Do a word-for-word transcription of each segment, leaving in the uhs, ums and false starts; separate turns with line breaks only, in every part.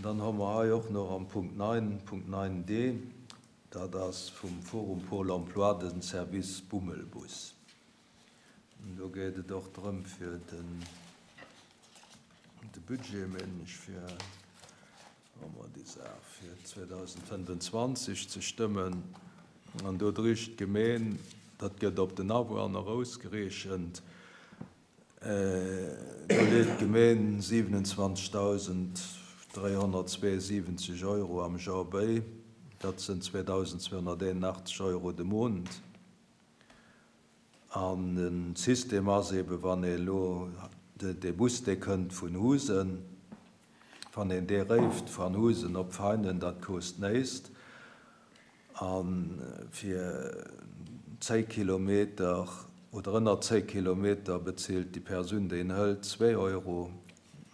Dann hu mer hei och nach am Punkt neun, Punkt neun D, dat ass vum Forum Pôle Emploi den Service Bummelbus. An do geet et och drëm fir den, de Budget, mengen ech, fir fir zweedausendfënnefenzwanzeg ze stëmmen. An do dréit d'Gemeng, dat gëtt op den Awunner ausgerechent, äh, do leet d'Gemeng siewenundzwanzegdausend dräihonnertzweeundsiwwenzeg Euro am Joer bäi. Dat sinn zweedausendzweehonnerteenundachtzeg Euro de Mount. An de System ass eben, wann ee lo de, de Bus, dee kënnt vun Husen, wann een dee réift vun Husen op Veinen, dat kost näischt. An fir zéng Kilometer oder ënner zéng Kilometer bezilt déi Persoun, déi en hëlt, zwee Euro,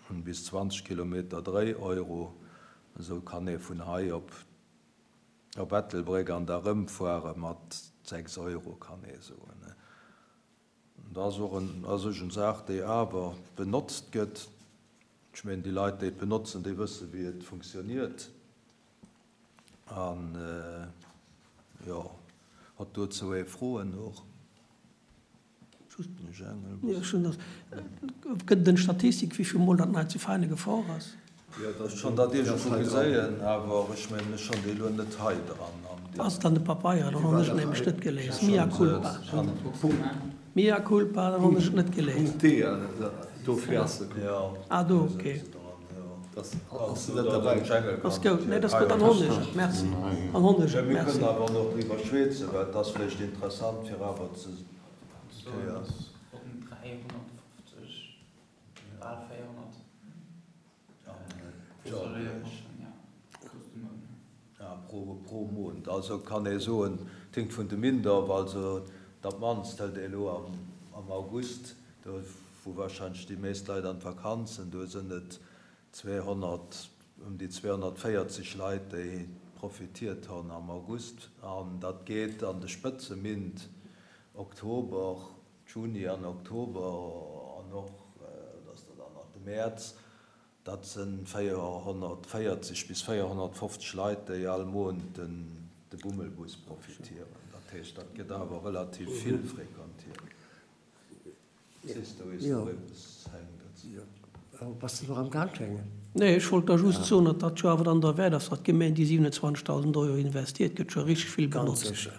an bis zwanzeg Kilometer dräi Euro. Esou kann ee vun hei op op Ettelbréck an da rëmfuere mat sechs Euro, kann ee soen. Dat ass och en, ass och eng Saach, déi awer benotzt gëtt. Ech mengen, déi Leit, déi et benotzen, déi wësse wéi et funktioniert. An äh, jo, huet dozou ee Froen och?
Jo, schonn dat. Gëtt et eng Statistik, wéi vill Mol dat nei zu Veine gefuer ass?
Jo, dat ass schonn dat iergendwou geséien, awer ech mengen, ech hunn déi elo net hei dran.
Ass et an de Papeieren? Dann hunn ech et nämlech net gelies. Mea culpa. Mea culpa, dann hunn ech et net gelies.
Punkt D, dofir ass se.
Ah, do, okay.
Ass se net derbäi?
Ass gutt. Nee, dat ass gutt, dann hunn ech et. Merci. Dann hunn ech et.
Mir
Merci.
kënnen awer nach driwwer schwätzen, well et ass vläicht interessant, fir awer ze kéier.
Ronn dräihonnertfofzeg, bal véierhonnert.
Ja, pro, pro Mount. Also kann ee soen, et hänkt vun de Méint of, also dat mannst hëlt ee elo am, am August, do wou warscheinlech déi meescht Leit an d'Vakanzen, do sinn et zweehonnert, ëm déi zweehonnertvéierzeg Leit, déi profitiert hunn am August. An dat geet an de Spëtzeméint, Oktober, Juni an Oktober an och, dat ass dann nach de Mäerz, dat si véierhonnertvéierzeg bis véierhonnertfofzeg Leit, déi all Mount den, de Bummelbus profitieren. Dat heescht, dat gëtt awer relativ vill frequentiert. Siehst du, is
Jo.
do eppes hänkt dat.
Jo. Bass du nach am Gaang, Schengen?
Nee, ech wollt da just soen, datt dat jo awer dann derwäert ass, datt d'Gemeng déi siewenundzwanzegdausend Euro investiert, gëtt scho richteg vill
Ganz
benotzt.
sécher.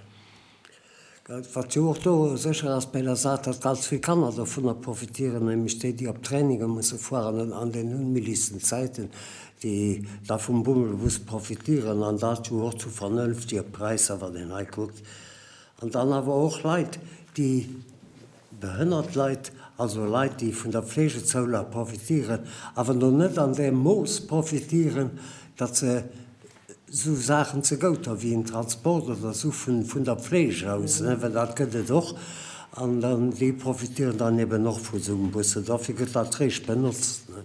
Wat jo och do sécher ass bei der Saach, datt ganz vill Kanner dovunner profitieren, nämlech déi, déi op Traininge musse fueren an den unméiglechen Zäiten, déi da vum Bummelbus profitieren an dat jo och zu vernënftege Präisser, wann een hei kuckt. An dann awer och Leit, déi behënnert Leit, also Leit, déi vun der Pflegezoulage profitieren, awer noch net an deem Mooss profitieren, datt se sou Saachen ze gout hu wéi en Transport oder sou vun, vun der Pflege aus, ne, well dat gëtt et och. An dann déi profitieren dann eben och vu sou engem Bus. Dofir gëtt dat récht benotzt. Ne?
Dat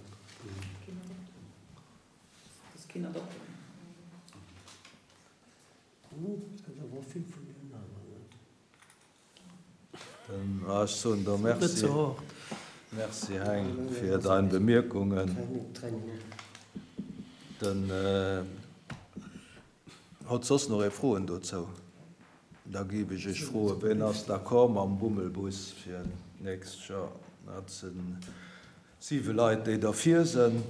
ass keen Adapter.
Et gëtt awer vill vun deenen aneren.
Dann, ah, ech soen der
Net
Merci.
ze hart.
Merci, Heng, fir dein Bemierkungen.
Training, Training.
Den äh, huet soss nach ee Froen dozou? Da géif ech iech froen, wien ass d'accord mam Bummelbus fir d'nächst Joer? Dat sinn siwe Leit, déi derfir sinn.